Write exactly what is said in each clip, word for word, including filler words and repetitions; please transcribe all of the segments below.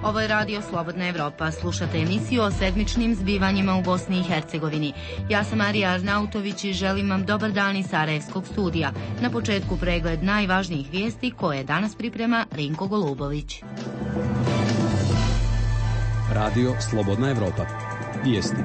Ovo je Radio Slobodna Evropa. Slušate emisiju o sedmičnim zbivanjima u Bosni i Hercegovini. Ja sam Marija Arnautović i želim vam dobar dan iz Sarajevskog studija. Na početku pregled najvažnijih vijesti koje danas priprema Rinko Golubović. Radio Slobodna Evropa. Vijesti.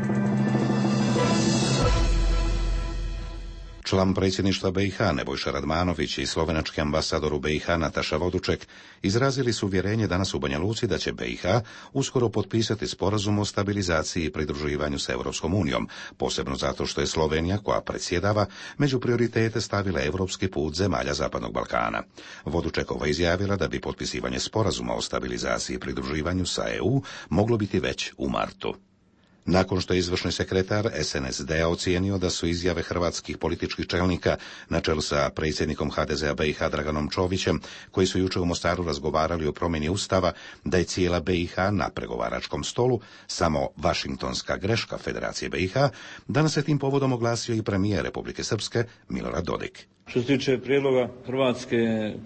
Član predsjedništva B i H Nebojša Radmanović i slovenački ambasador u B i H Nataša Voduček izrazili su uvjerenje danas u Banja Luci da će B i H uskoro potpisati sporazum o stabilizaciji i pridruživanju s Europskom unijom, posebno zato što je Slovenija, koja predsjedava, među prioritete stavila europski put zemalja Zapadnog Balkana. Vodučekova izjavila da bi potpisivanje sporazuma o stabilizaciji i pridruživanju sa E U moglo biti već u martu. Nakon što je izvršni sekretar S N S D-a ocijenio da su izjave hrvatskih političkih čelnika na čelu sa predsjednikom H D Z-a B i H Draganom Čovićem, koji su jučer u Mostaru razgovarali o promjeni Ustava, da je cijela B i H na pregovaračkom stolu samo vašingtonska greška Federacije B i H, danas se tim povodom oglasio i premijer Republike Srpske Milorad Dodik. Što se tiče prijedloga hrvatske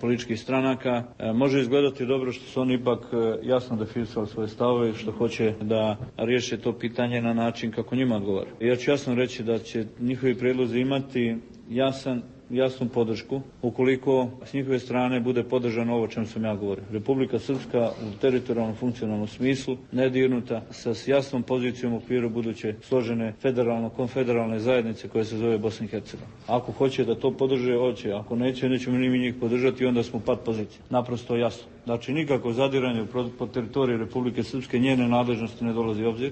političkih stranaka, može izgledati dobro što su oni ipak jasno definisali svoje stavove i što hoće da riješe to pitanje na način kako njima odgovara. Ja ću jasno reći da će njihovi prijedlozi imati jasan jasnu podršku ukoliko s njihove strane bude podržano ovo o čem sam ja govorio. Republika Srpska u teritorijalnom funkcionalnom smislu nedirnuta sa jasnom pozicijom u okviru buduće složene federalno-konfederalne zajednice koje se zove Bosna i Hercegovina. Ako hoće da to podrže, hoće. Ako neće, nećemo ni mi njih podržati, onda smo pad pozicije. Naprosto jasno. Znači nikako zadiranje po teritoriji Republike Srpske, njene nadležnosti ne dolazi u obzir.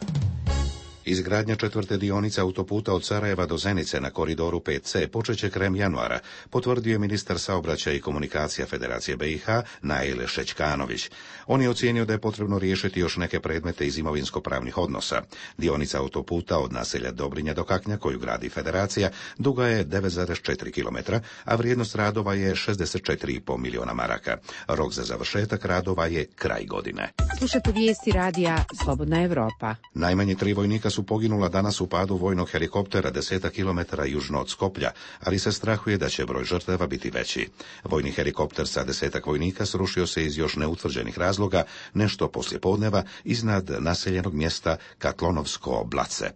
Izgradnja četvrte dionice autoputa od Sarajeva do Zenice na koridoru pet C počeće krajem januara, potvrdio je ministar saobraćaja i komunikacija Federacije B i H Naile Šećkanović. On je ocijenio da je potrebno riješiti još neke predmete iz imovinsko-pravnih odnosa. Dionica autoputa od naselja Dobrinja do Kaknja, koju gradi Federacija, duga je devet zarez četiri kilometra, a vrijednost radova je šezdeset četiri zarez pet milijuna maraka. Rok za završetak radova je kraj godine. Slušajte vijesti radija Slobodna Evropa. Najmanje tri vojnika su poginula danas u padu vojnog helikoptera desetak kilometara južno od Skoplja, ali se strahuje da će broj žrtava biti veći. Vojni helikopter sa desetak vojnika srušio se iz još neutvrđenih razloga nešto poslije podneva iznad naseljenog mjesta Katlonovsko Blace.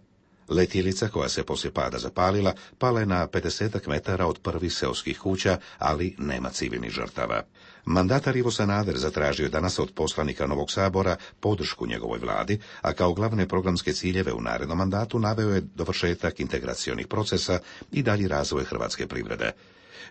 Letjelica, koja se poslije pada zapalila, pala je na pedesetak metara od prvih seoskih kuća, ali nema civilnih žrtava. Mandatar Ivo Sanader zatražio danas od poslanika Novog Sabora podršku njegovoj vladi, a kao glavne programske ciljeve u narednom mandatu naveo je dovršetak integracionih procesa i dalji razvoj hrvatske privrede.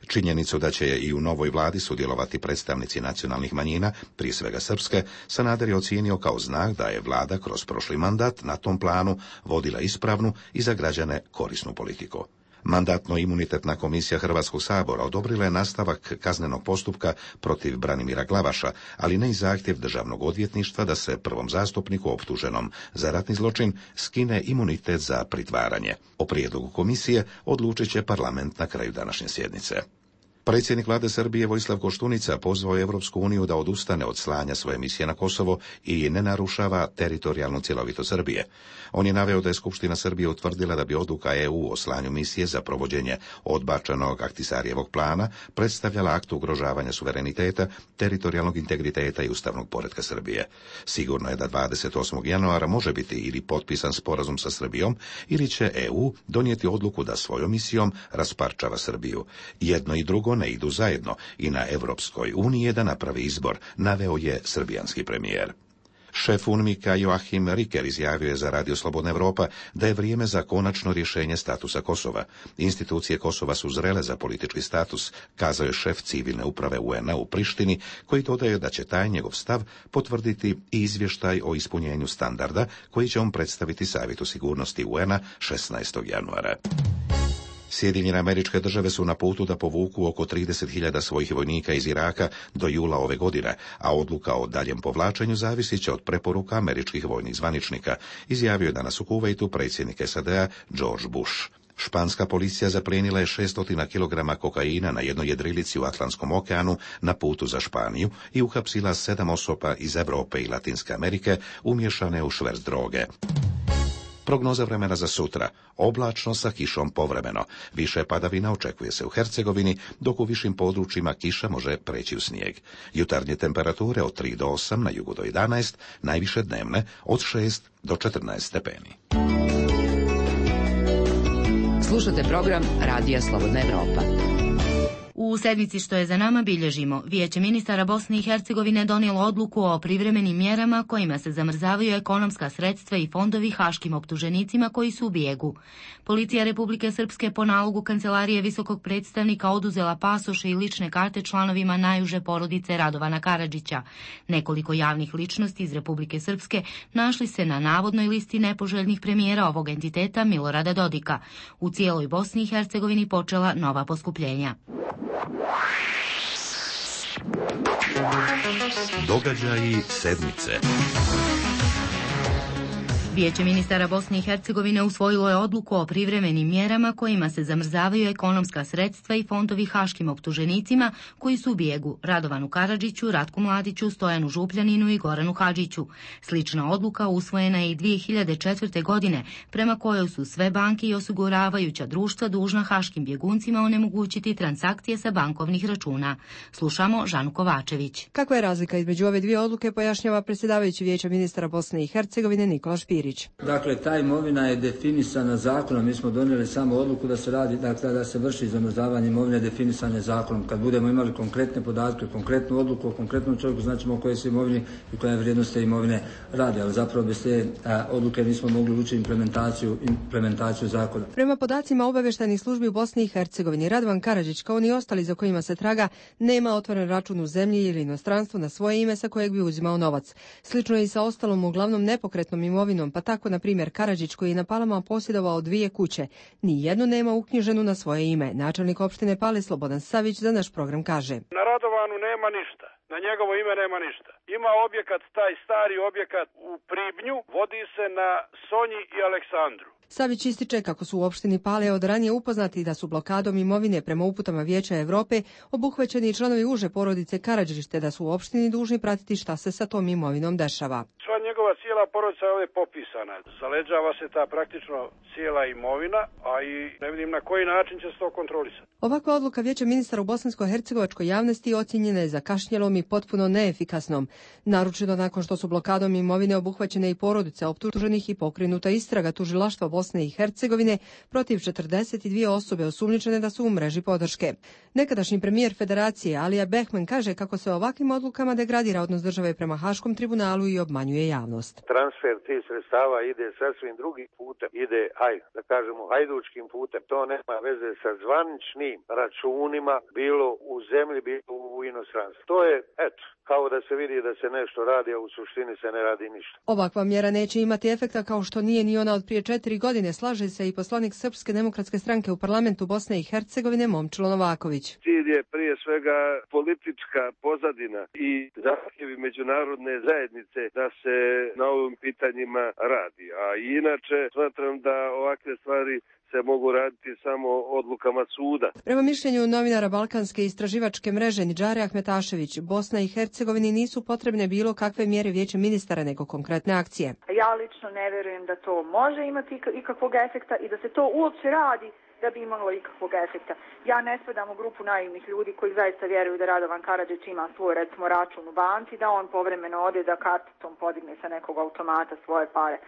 Činjenicu da će i u novoj vladi sudjelovati predstavnici nacionalnih manjina, prije svega srpske, Sanader je ocijenio kao znak da je vlada kroz prošli mandat na tom planu vodila ispravnu i za građane korisnu politiku. Mandatno-imunitetna komisija Hrvatskog sabora odobrila je nastavak kaznenog postupka protiv Branimira Glavaša, ali ne i zahtjev državnog odvjetništva da se prvom zastupniku optuženom za ratni zločin skine imunitet za pritvaranje. O prijedlogu komisije odlučit će parlament na kraju današnje sjednice. Predsjednik vlade Srbije Vojislav Koštunica pozvao je Europsku uniju da odustane od slanja svoje misije na Kosovo i ne narušava teritorijalnu cjelovitost Srbije. On je naveo da je Skupština Srbije utvrdila da bi odluka E U o slanju misije za provođenje odbačenog Ahtisarijevog plana predstavljala akt ugrožavanja suvereniteta, teritorijalnog integriteta i ustavnog poretka Srbije. Sigurno je da dvadeset osmog januara može biti ili potpisan sporazum sa Srbijom ili će E U donijeti odluku da svojom misijom rasparčava Srbiju. Jedno i drugo ne idu zajedno i na Europskoj uniji je da napravi izbor, naveo je srbijanski premijer. Šef UNMIK-a Joachim Riker izjavio je za Radio Slobodna Evropa da je vrijeme za konačno rješenje statusa Kosova. Institucije Kosova su zrele za politički status, kazao je šef civilne uprave U N-a u Prištini, koji dodaje da će taj njegov stav potvrditi i izvještaj o ispunjenju standarda koji će on predstaviti Savjetu sigurnosti U N-a šesnaestog januara. Sjedinjene Američke Države su na putu da povuku oko trideset hiljada svojih vojnika iz Iraka do jula ove godine, a odluka o daljem povlačenju zavisit će od preporuka američkih vojnih zvaničnika, izjavio je danas u Kuvejtu predsjednik S A D-a George Bush. Španska policija zaplijenila je šesto kilograma kokaina na jednoj jedrilici u Atlantskom okeanu na putu za Španiju i uhapsila sedam osoba iz Europe i Latinske Amerike umješane u šverc droge. Prognoza vremena za sutra. Oblačno sa kišom povremeno. Više padavina očekuje se u Hercegovini, dok u višim područjima kiša može preći u snijeg. Jutarnje temperature od tri do osam, na jugu do jedanaest, najviše dnevne od šest do četrnaest stepeni. Slušate program Radija Slobodna Evropa. U sedmici što je za nama bilježimo. Vijeće ministara Bosne i Hercegovine donijelo odluku o privremenim mjerama kojima se zamrzavaju ekonomska sredstva i fondovi haškim optuženicima koji su u bijegu. Policija Republike Srpske po nalogu Kancelarije visokog predstavnika oduzela pasoše i lične karte članovima najuže porodice Radovana Karadžića. Nekoliko javnih ličnosti iz Republike Srpske našli se na navodnoj listi nepoželjnih premijera ovog entiteta Milorada Dodika. U cijeloj Bosni i Hercegovini počela nova poskupljenja. Događaji sedmice. Vijeće ministara Bosne i Hercegovine usvojilo je odluku o privremenim mjerama kojima se zamrzavaju ekonomska sredstva i fondovi haškim optuženicima koji su u bijegu: Radovanu Karadžiću, Ratku Mladiću, Stojanu Župljaninu i Goranu Hadžiću. Slična odluka usvojena je i dvije hiljade četvrte. godine, prema kojoj su sve banke i osiguravajuća društva dužna haškim bjeguncima onemogućiti transakcije sa bankovnih računa. Slušamo Žanu Kovačević. Kakva je razlika između ove dvije odluke, pojašnjava predsjedavajući Vijeća ministara Bosne i Hercegovine Nikola Špirić. Dakle, ta imovina je definisana zakonom. Mi smo donijeli samo odluku da se radi, dakle, da se vrši zamrzavanje imovine definisane zakonom. Kad budemo imali konkretne podatke, konkretnu odluku o konkretnom čovjeku, značimo o kojoj se imovini i koja je vrijednost te imovine radi, ali zapravo bez te a, odluke nismo mogli ući implementaciju, implementaciju zakona. Prema podacima obavještajnih službi u Bosni i Hercegovini, Radovan Karadžić, kao ni ostali za kojima se traga, nema otvoren račun u zemlji ili inostranstvu na svoje ime sa kojeg bi uzimao novac. Slično je i sa ostalom uglavnom nepokretnom imovinom, pa tako, na primjer, Karadžić, koji je na Palama posjedovao dvije kuće, ni jednu nema uknjiženu na svoje ime. Načelnik opštine Pale Slobodan Savić za naš program kaže: Na Radovanu nema ništa, na njegovo ime nema ništa. Ima objekat, taj stari objekat u Pribnju, vodi se na Sonji i Aleksandru. Savić ističe kako su u opštini Pale od ranije upoznati da su blokadom imovine prema uputama Vijeća Evrope obuhvaćeni i članovi uže porodice Karadžić, te da su u opštini dužni pratiti šta se sa tom imovinom dešava. Sva njegova cijela porodica je ovdje popisana. Zaleđava se ta praktično cijela imovina, a i ne vidim na koji način će se to kontrolisati. Ovakva odluka Vijeća ministara u bosansko-hercegovačkoj javnosti ocjenjena je zakašnjelom i potpuno neefikasnom. Naročito nakon što su blokadom imovine obuhvaćene i porodice optuženih i pokrenuta istraga tužilaštva Bosne i Hercegovine protiv četrdeset dvije osobe osumnjičene da su u mreži podrške. Nekadašnji premijer Federacije Alija Behman kaže kako se ovakvim odlukama degradira odnos države prema Haškom tribunalu i obmanjuje javnost. Transfer tih sredstava ide sasvim drugim putem, ide, aj, da kažemo, hajdučkim putem. To nema veze sa zvaničnim računima, bilo u zemlji, bilo u inostranstvu. To je, eto, kao da se vidi da se nešto radi, a u suštini se ne radi ništa. Ovakva mjera neće imati efekta kao što nije ni ona od prije četiri godine, slaže se i poslanik Srpske demokratske stranke u parlamentu Bosne i Hercegovine Momčilo Novaković. Cilj je prije svega politička pozadina i zahtjevi međunarodne zajednice da se na ovim pitanjima radi. A inače smatram da ovakve stvari se mogu raditi samo odlukama suda. Prema mišljenju novinara Balkanske istraživačke mreže Nidžare Ahmetašević, Bosna i Hercegovini nisu potrebne bilo kakve mjere Vijeća ministara nego konkretne akcije. Ja lično ne vjerujem da to može imati ikakvog efekta i da se to uopće radi da bi imalo ikakvog efekta. Ja ne spadam u grupu naivnih ljudi koji zaista vjeruju da Radovan Karadžić ima svoj, recimo, račun u banci, da on povremeno ode da karticom podigne sa nekog automata svoje pare.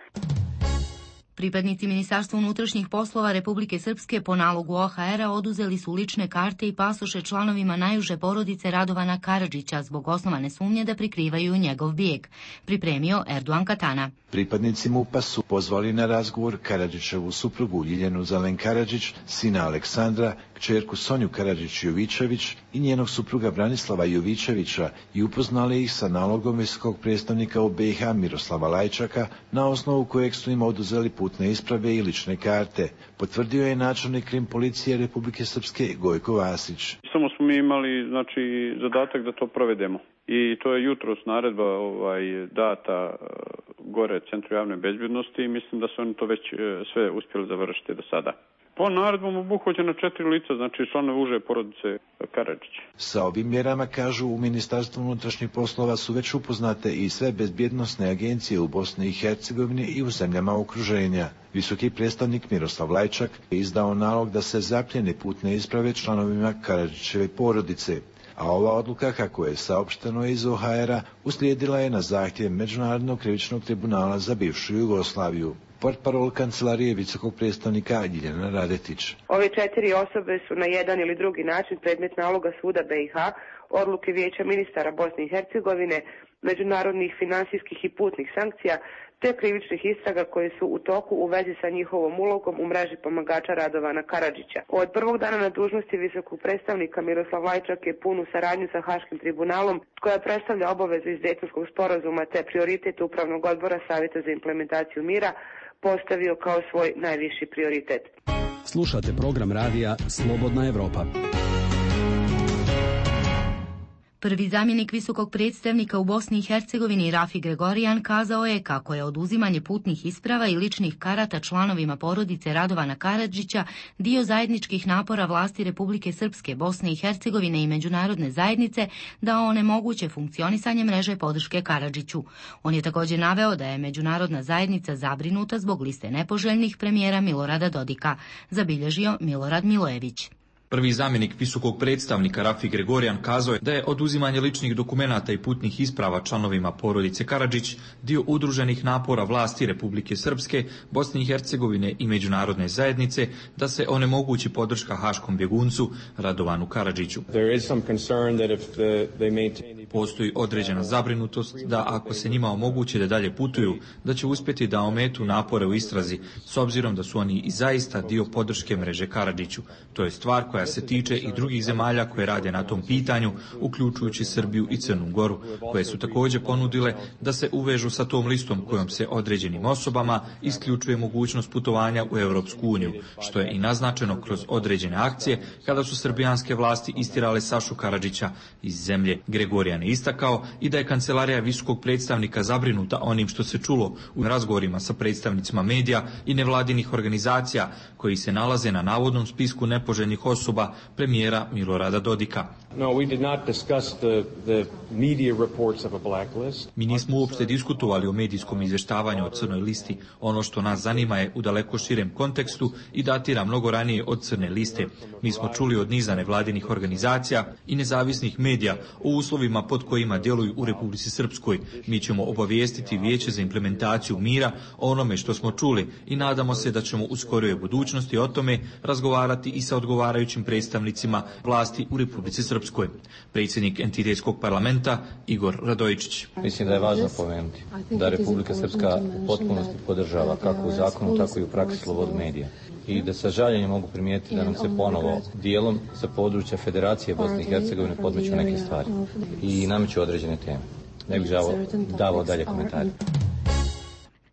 Pripadnici Ministarstva unutrašnjih poslova Republike Srpske po nalogu O H R-a oduzeli su lične karte i pasoše članovima najuže porodice Radovana Karadžića zbog osnovane sumnje da prikrivaju njegov bijeg, pripremio Erdogan Katana. Pripadnici MUP-a su pozvali na razgovor Karadžićevu suprugu Ljiljanu Zelen Karadžić, sina Aleksandra, kćerku Sonju Karadžić-Jovičević i njenog supruga Branislava Jovičevića i upoznali ih sa nalogom visokog predstavnika u B i H Miroslava Lajčaka, na osnovu kojeg su im oduzeli putne isprave i lične karte, potvrdio je načelnik krim policije Republike Srpske Gojko Vasić. Samo smo mi imali, znači, zadatak da to provedemo. I to je jutros naredba ovaj, data gore Centru javne bezbjednosti i mislim da su oni to već sve uspjeli završiti do sada. Po naredbom obuhvaćeno četiri lica, znači članove uže porodice Karadžić. Sa ovim mjerama, kažu u Ministarstvu unutrašnjih poslova, su već upoznate i sve bezbjednosne agencije u Bosni i Hercegovini i u zemljama okruženja. Visoki predstavnik Miroslav Lajčak je izdao nalog da se zapljene putne isprave članovima Karadžićeve porodice. A ova odluka, kako je saopšteno iz O H R-a, uslijedila je na zahtjev Međunarodnog krivičnog tribunala za bivšu Jugoslaviju. Portparol kancelarije visokog predstavnika Ljiljana Radetić. Ove četiri osobe su na jedan ili drugi način predmet naloga suda B i H, odluke Vijeća ministara Bosne i Hercegovine, međunarodnih finansijskih i putnih sankcija, te krivičnih istraga koje su u toku u vezi sa njihovom ulogom u mreži pomagača Radovana Karadžića. Od prvog dana na dužnosti visokog predstavnika Miroslav Lajčak je punu saradnju sa Haškim tribunalom, koja predstavlja obavezu iz Dejtonskog sporazuma te prioritet Upravnog odbora Savjeta za implementaciju mira postavio kao svoj najviši prioritet. Slušate program radija Slobodna Evropa. Prvi zamjenik visokog predstavnika u Bosni i Hercegovini Rafi Gregorijan kazao je kako je oduzimanje putnih isprava i ličnih karata članovima porodice Radovana Karadžića dio zajedničkih napora vlasti Republike Srpske, Bosne i Hercegovine i međunarodne zajednice da onemoguće funkcionisanje mreže podrške Karadžiću. On je također naveo da je međunarodna zajednica zabrinuta zbog liste nepoželjnih premijera Milorada Dodika, zabilježio Milorad Milojević. Prvi zamjenik visokog predstavnika Rafi Gregorijan kazao je da je oduzimanje ličnih dokumenata i putnih isprava članovima porodice Karadžić dio udruženih napora vlasti Republike Srpske, Bosne i Hercegovine i međunarodne zajednice da se onemogući podrška haškom bjeguncu Radovanu Karadžiću. Postoji određena zabrinutost da ako se njima omogući da dalje putuju, da će uspjeti da ometu napore u istrazi, s obzirom da su oni i zaista dio podrške mreže Karadžiću. To je stvar koja se tiče i drugih zemalja koje rade na tom pitanju, uključujući Srbiju i Crnu Goru, koje su također ponudile da se uvežu sa tom listom kojom se određenim osobama isključuje mogućnost putovanja u Europsku uniju, što je i naznačeno kroz određene akcije kada su srbijanske vlasti istirale Sašu Karadžića iz zemlje. Gregorijan je istakao i da je kancelarija visokog predstavnika zabrinuta onim što se čulo u razgovorima sa predstavnicima medija i nevladinih organizacija koji se nalaze na navodnom spisku nepoželjnih osoba premijera Milorada Dodika. No, we did not discuss the, the media reports of a blacklist. Mi nismo uopšte diskutovali o medijskom izvještavanju o crnoj listi. Ono što nas zanima je u daleko širem kontekstu i datira mnogo ranije od crne liste. Mi smo čuli od niza nevladinih organizacija i nezavisnih medija o uslovima pod kojima djeluju u Republici Srpskoj. Mi ćemo obavijestiti Vijeće za implementaciju mira o onome što smo čuli i nadamo se da ćemo u skorijoj budućnosti o tome razgovarati i sa odgovarajućim predstavnicima vlasti u Republici Srpskoj. Predsjednik entitetskog parlamenta Igor Radojičić. Mislim da je važno pomenuti da Republika Srpska u potpunosti podržava kako u zakonu, tako i u praksi slobodu medija. I da sa žaljenjem mogu primijetiti da nam se ponovo dijelom sa područja Federacije Bosne i Hercegovine podmeću neke stvari i nameću određene teme. Ne bih davao dalje komentare.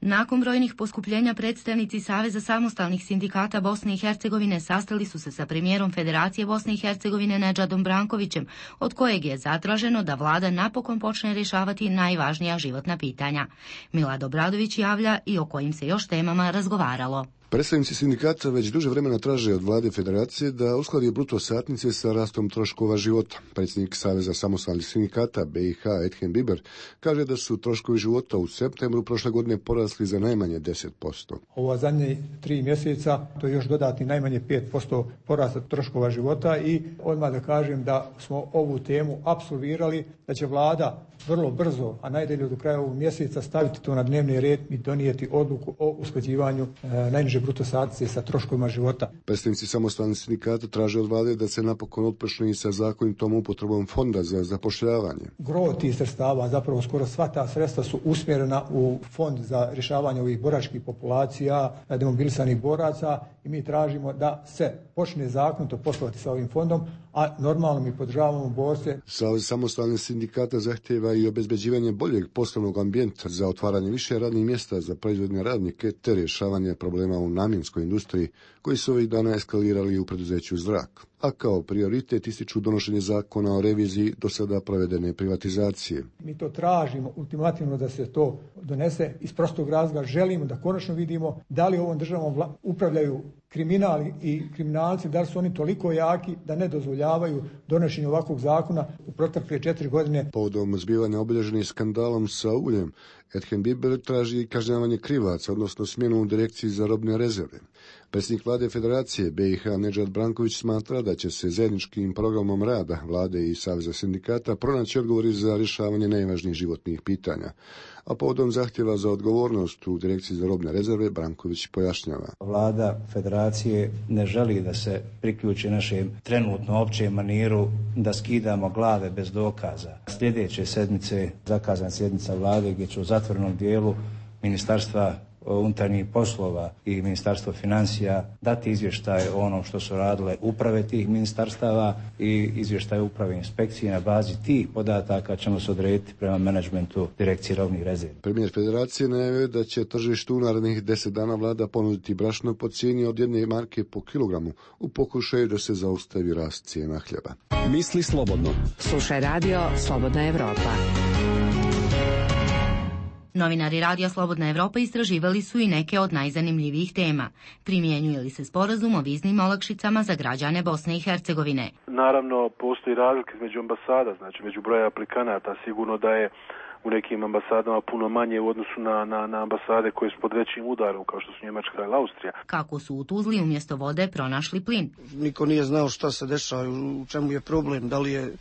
Nakon brojnih poskupljenja predstavnici Saveza samostalnih sindikata Bosne i Hercegovine sastali su se sa premijerom Federacije Bosne i Hercegovine Nedžadom Brankovićem, od kojeg je zatraženo da vlada napokon počne rješavati najvažnija životna pitanja. Milad Obradović javlja i o kojim se još temama razgovaralo. Predstavnici sindikata već duže vremena traže od vlade federacije da uskladi bruto satnice sa rastom troškova života. Predsjednik Saveza samostalnih sindikata B i H Edhem Biber kaže da su troškovi života u septembru prošle godine porasli za najmanje deset posto. Ova zadnje tri mjeseca to je još dodatni najmanje pet posto porasta troškova života i odmah da kažem da smo ovu temu apsolvirali, da će vlada vrlo brzo, a najdalje do kraja ovog mjeseca staviti to na dnevni red i donijeti odluku o usklađivanju e, najniže bruto satnice sa troškovima života. Predstavnici samostalnih sindikata traže od vlade da se napokon otpočne i sa zakonitom upotrebom fonda za zapošljavanje. Gro tih sredstava, zapravo skoro sva ta sredstva su usmjerena u fond za rješavanje ovih boračkih populacija, demobilisanih boraca i mi tražimo da se počne zakonito poslovati sa ovim fondom, a normalno mi podržavamo borce. Savez samostalnih sindikata zahtjeva i obezbeđivanje boljeg poslovnog ambijenta za otvaranje više radnih mjesta za proizvodne radnike te rješavanje problema u namjenskoj industriji koji su ovih dana eskalirali u preduzeću Zrak. a kao prioritet ističu donošenje zakona o reviziji do sada provedene privatizacije. Mi to tražimo ultimativno da se to donese iz prostog razloga. Želimo da konačno vidimo da li ovom državom vla- upravljaju kriminali i kriminalci, da li su oni toliko jaki da ne dozvoljavaju donošenje ovakvog zakona u protekle četiri godine. Povodom zbivanja obilježenih skandalom sa uljem, Edhem Biber traži kažnjavanje krivaca, odnosno smjenu u direkciji za robne rezerve. Predsjednik vlade Federacije B i H Nedžad Branković smatra da će se zajedničkim programom rada vlade i Saveza sindikata pronaći odgovori za rješavanje najvažnijih životnih pitanja. A povodom zahtjeva za odgovornost u direkciji za robne rezerve Branković pojašnjava. Vlada Federacije ne želi da se priključi našem trenutno općem maniru da skidamo glave bez dokaza. Sljedeće sedmice zakazana sjednica vlade gdje će u zatvorenom dijelu Ministarstva unutarnjih poslova i Ministarstvo financija dati izvještaj o onom što su radile uprave tih ministarstava i izvještaj uprave inspekcije. Na bazi tih podataka ćemo se odrediti prema menadžmentu direkcije robnih rezervi. Premijer Federacije najavio da će tržištu u narednih deset dana vlada ponuditi brašno po cijeni od jedne marke po kilogramu u pokušaju da se zaustavi rast cijena hljeba. Misli slobodno. Slušaj radio Slobodna Evropa. Novinari Radija Slobodna Evropa istraživali su i neke od najzanimljivijih tema. Primjenjuje li se sporazum o viznim olakšicama za građane Bosne i Hercegovine? Naravno, postoji razlika između ambasada, znači među broja aplikanata. Sigurno da je u nekim ambasadama puno manje u odnosu na, na, na ambasade koje su pod većim udarom, kao što su Njemačka ili Austrija. Kako su u Tuzli umjesto vode pronašli plin? Niko nije znao šta se dešava, u čemu je problem, da li je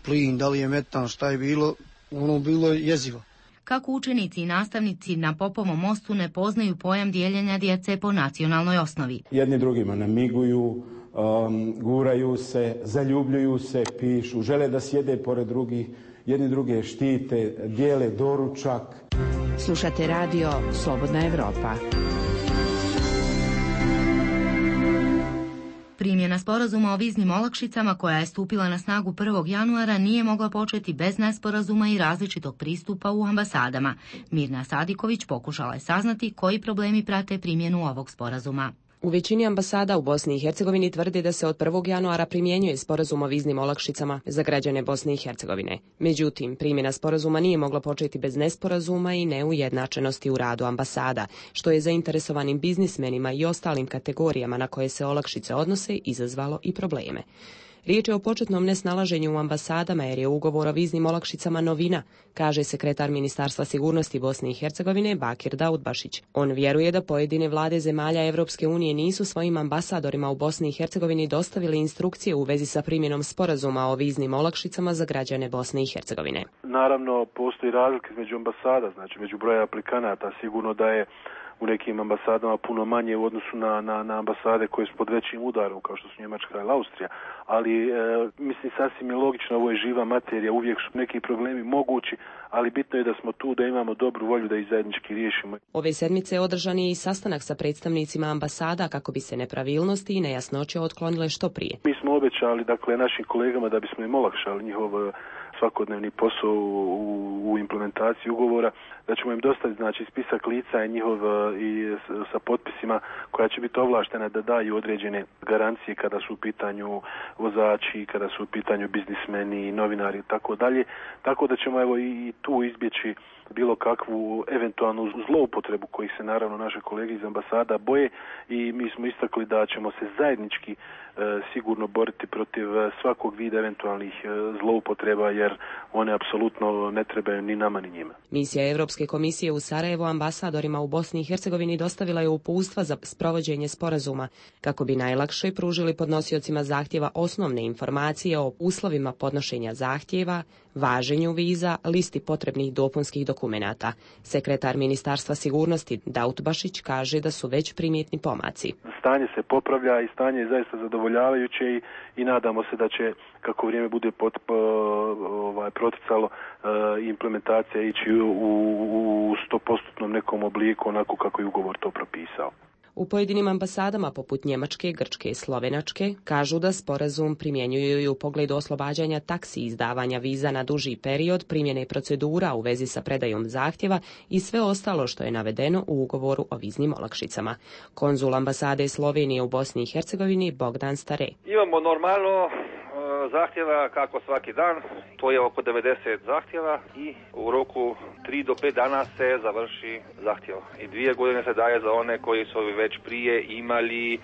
plin, da li je metan, šta je bilo, ono bilo je jezivo. Kako učenici i nastavnici na Popovom mostu ne poznaju pojam dijeljenja djece po nacionalnoj osnovi. Jedni drugima namiguju, um, guraju se, zaljubljuju se, pišu, žele da sjede pored drugih, jedni druge štite, dijele doručak. Slušate radio Slobodna Evropa. Primjena sporazuma o viznim olakšicama koja je stupila na snagu prvog januara nije mogla početi bez nesporazuma i različitog pristupa u ambasadama. Mirna Sadiković pokušala je saznati koji problemi prate primjenu ovog sporazuma. U većini ambasada u Bosni i Hercegovini tvrdi da se od prvog januara primjenjuje sporazum o viznim olakšicama za građane Bosne i Hercegovine. Međutim, primjena sporazuma nije mogla početi bez nesporazuma i neujednačenosti u radu ambasada, što je zainteresovanim biznismenima i ostalim kategorijama na koje se olakšice odnose izazvalo i probleme. Riječ je o početnom nesnalaženju u ambasadama jer je ugovor o viznim olakšicama novina, kaže sekretar Ministarstva sigurnosti Bosne i Hercegovine Bakir Daudbašić. On vjeruje da pojedine vlade zemalja Evropske unije nisu svojim ambasadorima u Bosni i Hercegovini dostavili instrukcije u vezi sa primjenom sporazuma o viznim olakšicama za građane Bosne i Hercegovine. Naravno, postoji razlika između ambasada, znači među broja aplikanata. Sigurno da je u nekim ambasadama puno manje u odnosu na, na, na ambasade koje su pod većim udarom, kao što su Njemačka ili Austrija. Ali, e, mislim, sasvim je logično, ovo je živa materija, uvijek su neki problemi mogući, ali bitno je da smo tu, da imamo dobru volju da ih zajednički riješimo. Ove sedmice održan je i sastanak sa predstavnicima ambasada kako bi se nepravilnosti i nejasnoće otklonile što prije. Mi smo obećali, dakle, našim kolegama da bismo im olakšali njihov svakodnevni posao u, u implementaciji ugovora, da ćemo im dostaviti, znači, spisak lica i njihov i sa potpisima koja će biti ovlaštena da daju određene garancije kada su u pitanju vozači, kada su u pitanju biznismeni, novinari i tako dalje. Tako da ćemo evo i tu izbjeći bilo kakvu eventualnu zloupotrebu kojih se naravno naše kolege iz ambasada boje i mi smo istakli da ćemo se zajednički e, sigurno boriti protiv svakog vida eventualnih e, zloupotreba jer one apsolutno ne trebaju ni nama ni njima. Misija Europske komisije u Sarajevo ambasadorima u Bosni i Hercegovini dostavila je uputstva za sprovođenje sporazuma kako bi najlakše pružili podnosiocima zahtjeva osnovne informacije o uslovima podnošenja zahtjeva, važenju viza, listi potrebnih dopunskih dokumenata. Sekretar Ministarstva sigurnosti Daudbašić kaže da su već primjetni pomaci. Stanje se popravlja i stanje je zaista zadovoljavajuće i, i nadamo se da će, kako vrijeme bude pot, ovaj, proticalo, implementacija ići u sto posto nekom obliku onako kako je ugovor to propisao. U pojedinim ambasadama poput Njemačke, Grčke i Slovenačke kažu da sporazum primjenjuju i u pogledu oslobađanja taksi izdavanja viza na duži period, primjene procedura u vezi sa predajom zahtjeva i sve ostalo što je navedeno u ugovoru o viznim olakšicama. Konzul ambasade Slovenije u Bosni i Hercegovini Bogdan Stare. Imamo normalno zahtjeva kako svaki dan, to je oko devedeset zahtjeva i u roku tri do pet dana se završi zahtjev. I dvije godine se daje za one koji su već prije imali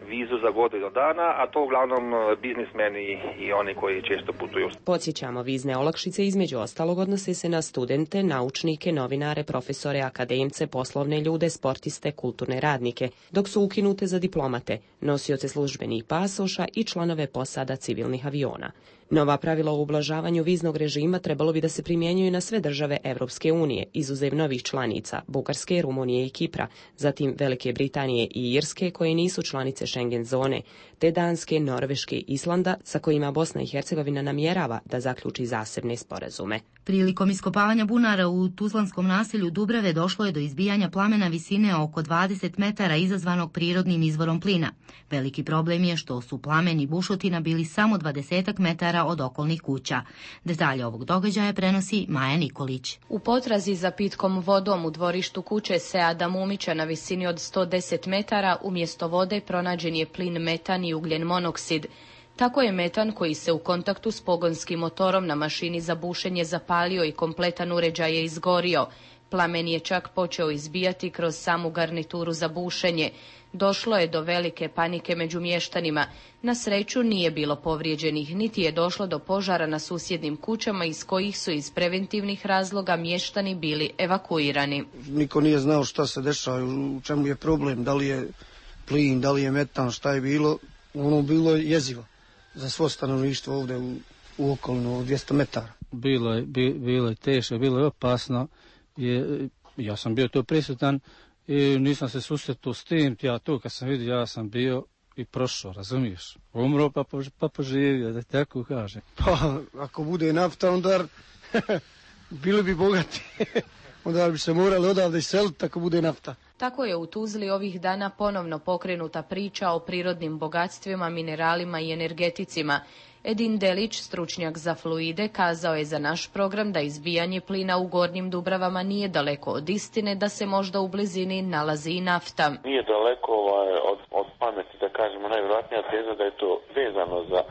vizu za godinu dana, a to uglavnom biznismeni i oni koji često putuju. Podsjećamo, vizne olakšice između ostalog odnose se na studente, naučnike, novinare, profesore, akademce, poslovne ljude, sportiste, kulturne radnike, dok su ukinute za diplomate, nosioce službenih pasoša i članove posada civilnih aviona. Nova pravila o ublažavanju viznog režima trebalo bi da se primjenjuju na sve države Evropske unije, izuzev novih članica, Bugarske, Rumunije i Kipra, zatim Velike Britanije i Irske koje nisu članice Schengen zone, te Danske, Norveške i Islanda sa kojima Bosna i Hercegovina namjerava da zaključi zasebne sporazume. Prilikom iskopavanja bunara u tuzlanskom naselju Dubrave došlo je do izbijanja plamena visine oko dvadeset metara izazvanog prirodnim izvorom plina. Veliki problem je što su plamen i bušotina bili samo dvadesetak metara od okolnih kuća. Detalje ovog događaja prenosi Maja Nikolić. U potrazi za pitkom vodom u dvorištu kuće Seada Mumića na visini od sto deset metara umjesto vode pronađen je plin metan i ugljen monoksid. Tako je metan koji se u kontaktu s pogonskim motorom na mašini za bušenje zapalio i kompletan uređaj je izgorio. Plamen je čak počeo izbijati kroz samu garnituru za bušenje. Došlo je do velike panike među mještanima. Na sreću nije bilo povrijeđenih, niti je došlo do požara na susjednim kućama iz kojih su iz preventivnih razloga mještani bili evakuirani. Niko nije znao šta se dešava, u čemu je problem, da li je plin, da li je metan, šta je bilo. Ono bilo je jezivo za svo stanovništvo ovdje u, u okolinu dvjesto metara. Bilo je, bi, bilo je teško, bilo je opasno. Je, ja sam bio tu prisutan i nisam se susretao s tim. Ja tu kad sam vidio, ja sam bio i prošao, razumiješ? Umro pa, pa poživio, da tako kažem. Pa, ako bude nafta, onda bili bi bogati. Onda bi se morali odavde iseliti ako bude nafta. Tako je u Tuzli ovih dana ponovno pokrenuta priča o prirodnim bogatstvima, mineralima i energeticima. Edin Delić, stručnjak za fluide, kazao je za naš program da izbijanje plina u Gornjim Dubravama nije daleko od istine, da se možda u blizini nalazi i nafta. Nije daleko ovaj, od, od pameti, da kažemo, najvjerojatnija teza da je to vezano za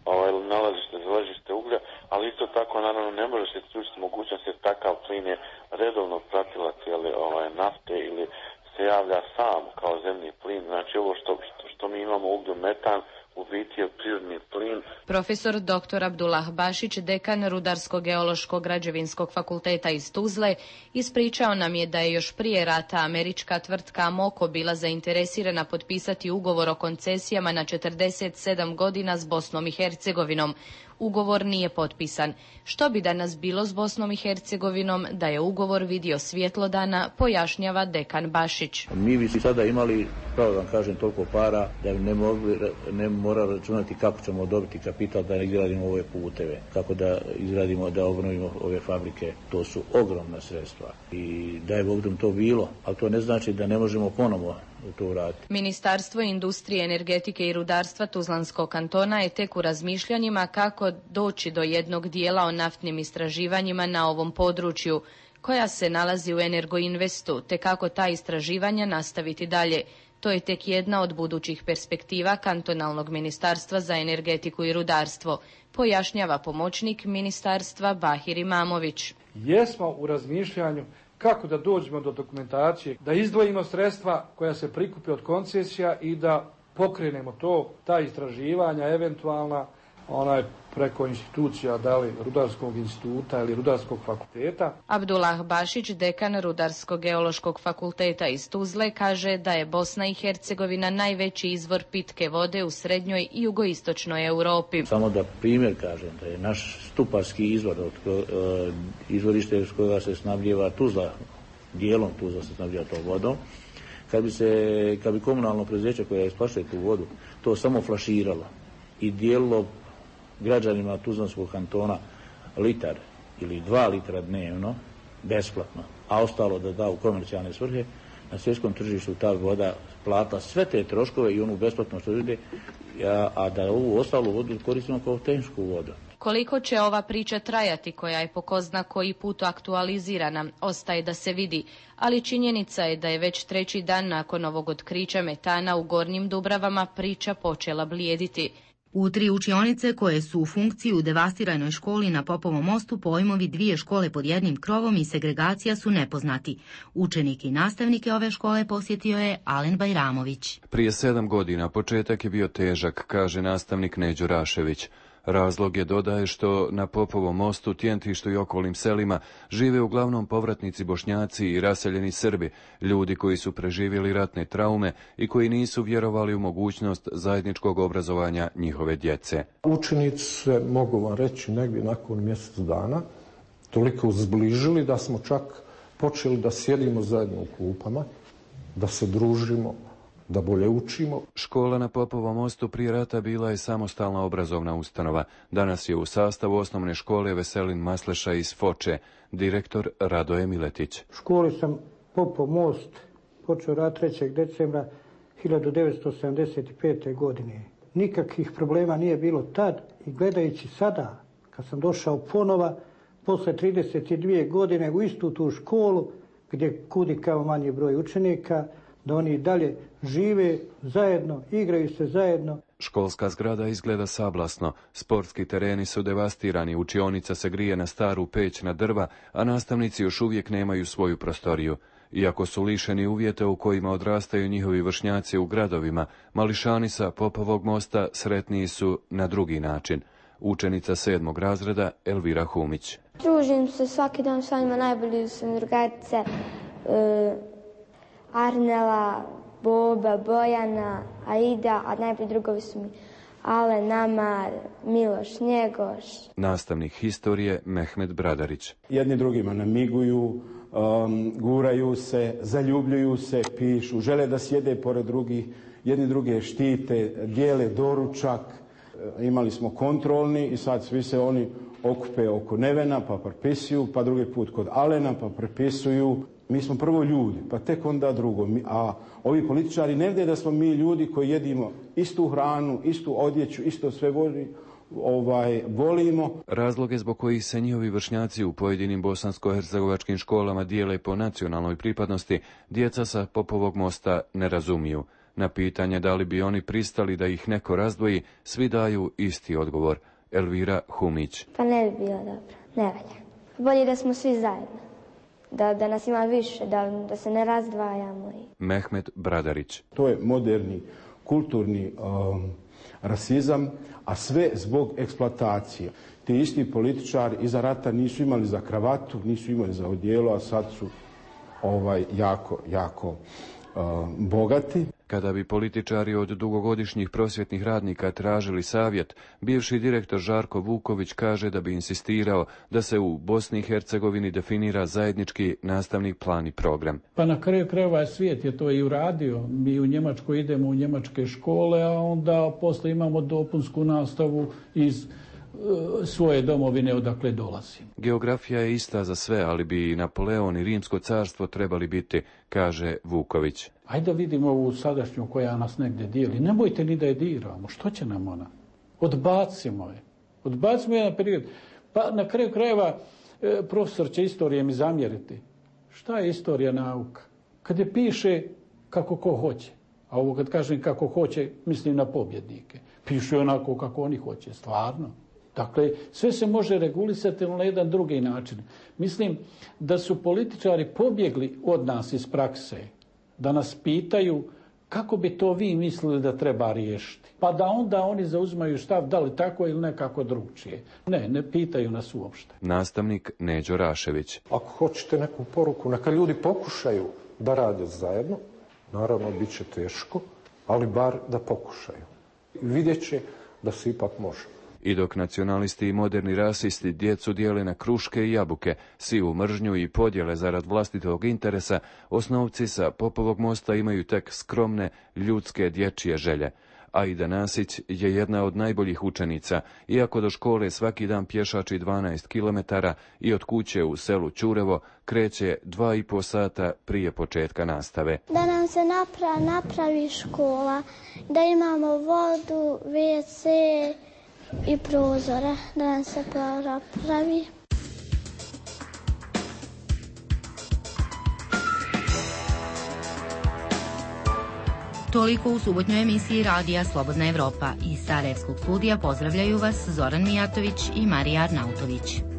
ovaj, nalazište, za ležište uglja, ali isto tako naravno ne može se isključiti mogućnost jer takav plin je redovno pratilac ili ovaj, nafte ili se javlja sam kao zemni plin. Znači ovo što, što, što mi imamo uglju metan, u biti je prirodni plin. Profesor doktor Abdullah Bašić, dekan Rudarsko-geološkog građevinskog fakulteta iz Tuzle, ispričao nam je da je još prije rata američka tvrtka Amoco bila zainteresirana potpisati ugovor o koncesijama na četrdeset sedam godina s Bosnom i Hercegovinom. Ugovor nije potpisan. Što bi danas bilo s Bosnom i Hercegovinom da je ugovor vidio svjetlo dana, pojašnjava dekan Bašić. Mi bi sada imali, pravo vam kažem, toliko para da ne, mogli, ne mora računati kako ćemo dobiti kapital da izgradimo ove puteve, kako da izgradimo, da obnovimo ove fabrike. To su ogromna sredstva i da je Bog to bilo, ali to ne znači da ne možemo ponovo to uraditi. Ministarstvo industrije, energetike i rudarstva Tuzlanskog kantona je tek u razmišljanjima kako doći do jednog dijela o naftnim istraživanjima na ovom području, koja se nalazi u Energoinvestu, te kako ta istraživanja nastaviti dalje. To je tek jedna od budućih perspektiva kantonalnog ministarstva za energetiku i rudarstvo, pojašnjava pomoćnik ministarstva Bahir Imamović. Jesmo u razmišljanju kako da dođemo do dokumentacije, da izdvojimo sredstva koja se prikupe od koncesija i da pokrenemo to, ta istraživanja, eventualna onaj preko institucija, da li Rudarskog instituta ili Rudarskog fakulteta. Abdullah Bašić, dekan Rudarsko-geološkog fakulteta iz Tuzle, kaže da je Bosna i Hercegovina najveći izvor pitke vode u srednjoj i jugoistočnoj Europi. Samo da primjer kažem da je naš stuparski izvor, od, izvorište s kojega se snabdjeva Tuzla, dijelom Tuzla se snabdjeva tom vodom, kad bi, se, kad bi komunalno preduzeće koje isplaćuje tu vodu to samo flaširalo i dijelilo građanima Tuzlanskog kantona litar ili dva litra dnevno, besplatno, a ostalo da da u komercijalne svrhe, na svjetskom tržištu ta voda platila sve te troškove i onu besplatno što ide, a, a da ovu ostalu vodu koristimo kao tehničku vodu. Koliko će ova priča trajati, koja je po ko zna koji put aktualizirana, ostaje da se vidi, ali činjenica je da je već treći dan nakon ovog otkrića metana u Gornjim Dubravama priča počela blijediti. U tri učionice koje su u funkciji u devastiranoj školi na Popovom mostu pojmovi dvije škole pod jednim krovom i segregacija su nepoznati. Učenike i nastavnike ove škole posjetio je Alen Bajramović. Prije sedam godina početak je bio težak, kaže nastavnik Neđo Rašević. Razlog je, dodaje, što na Popovom mostu, Tjentištu i okolnim selima žive uglavnom povratnici Bošnjaci i raseljeni Srbi, ljudi koji su preživjeli ratne traume i koji nisu vjerovali u mogućnost zajedničkog obrazovanja njihove djece. Učenici se, mogu vam reći, negdje nakon mjesec dana toliko zbližili da smo čak počeli da sjedimo zajedno u klupama, da se družimo, da bolje učimo. Škola na Popovom mostu prije rata bila je samostalna obrazovna ustanova. Danas je u sastavu osnovne škole Veselin Masleša iz Foče, direktor Radoje Miletić. U školi sam Popov most počeo rad trećeg decembra hiljadu devetsto sedamdeset pete. godine. Nikakvih problema nije bilo tad i gledajući sada, kad sam došao ponova, posle trideset dvije godine u istu tu školu, gdje kudi kao manji broj učenika, da oni dalje žive zajedno, igraju se zajedno. Školska zgrada izgleda sablasno, sportski tereni su devastirani, učionica se grije na staru peć na drva, a nastavnici još uvijek nemaju svoju prostoriju. Iako su lišeni uvjeta u kojima odrastaju njihovi vršnjaci u gradovima, mališani sa Popovog mosta sretniji su na drugi način. Učenica sedmog razreda Elvira Humić. Družim se svaki dan sa njima, najbolji su mi drugarice, e, Arnela, Boba, Bojana, Aida, a najbolji drugovi su mi Ale, Namar, Miloš, Njegoš. Nastavnik historije Mehmet Bradarić. Jedni drugima namiguju, um, guraju se, zaljubljuju se, pišu, žele da sjede pored drugih, jedni druge štite, dijele doručak. Imali smo kontrolni i sad svi se oni okupe oko Nevena pa prepisuju, pa drugi put kod Alena pa prepisuju. Mi smo prvo ljudi, pa tek onda drugo. A ovi političari ne vide da smo mi ljudi koji jedimo istu hranu, istu odjeću, isto sve voli, ovaj, volimo. Razloge zbog kojih se njihovi vršnjaci u pojedinim bosansko-hercegovačkim školama dijele po nacionalnoj pripadnosti, djeca sa Popovog mosta ne razumiju. Na pitanje da li bi oni pristali da ih neko razdvoji, svi daju isti odgovor. Elvira Humić. Pa ne bi bilo dobro, ne valja. Bolje da smo svi zajedno. Da, da nas ima više, da, da se ne razdvajamo. Mehmet Bradarić. To je moderni, kulturni um, rasizam, a sve zbog eksploatacije. Ti isti političari iza rata nisu imali za kravatu, nisu imali za odijelo, a sad su ovaj, jako, jako uh, bogati. Kada bi političari od dugogodišnjih prosvjetnih radnika tražili savjet, bivši direktor Žarko Vuković kaže da bi insistirao da se u Bosni i Hercegovini definira zajednički nastavni plan i program. Pa na kraju krajeva svijet je to i uradio. Mi u Njemačkoj idemo u njemačke škole, a onda posle imamo dopunsku nastavu iz svoje domovine odakle dolazi. Geografija je ista za sve, ali bi Napoleon i Rimsko carstvo trebali biti, kaže Vuković. Ajde da vidimo ovu sadašnju koja nas negdje dijeli. Nemojte ni da je diramo. Što će nam ona? Odbacimo je. Odbacimo je na period. Pa na kraju krajeva e, profesor će istorije mi zamjeriti. Šta je istorija nauka? Kad je piše kako ko hoće. A ovo kad kažem kako hoće, mislim na pobjednike. Pišu onako kako oni hoće, stvarno. Dakle, sve se može regulisati na jedan drugi način. Mislim da su političari pobjegli od nas iz prakse, da nas pitaju kako bi to vi mislili da treba riješiti. Pa da onda oni zauzimaju stav da li tako ili nekako drugčije. Ne, ne pitaju nas uopšte. Nastavnik Neđo Rašević. Ako hoćete neku poruku, neka ljudi pokušaju da rade zajedno. Naravno, bit će teško, ali bar da pokušaju. Vidjet će da se ipak može. I dok nacionalisti i moderni rasisti djecu dijele na kruške i jabuke, sivu mržnju i podjele zarad vlastitog interesa, osnovci sa Popovog mosta imaju tek skromne, ljudske dječje želje. Aida Nasić je jedna od najboljih učenica, iako do škole svaki dan pješači dvanaest kilometara i od kuće u selu Ćurevo kreće dva i po sata prije početka nastave. Da nam se napravi, napravi škola, da imamo vodu, ve ce i prozore, da nam se napravi. Toliko u subotnjoj emisiji Radija Slobodna Evropa. Iz Sarajevskog studija pozdravljaju vas Zoran Mijatović i Marija Arnautović.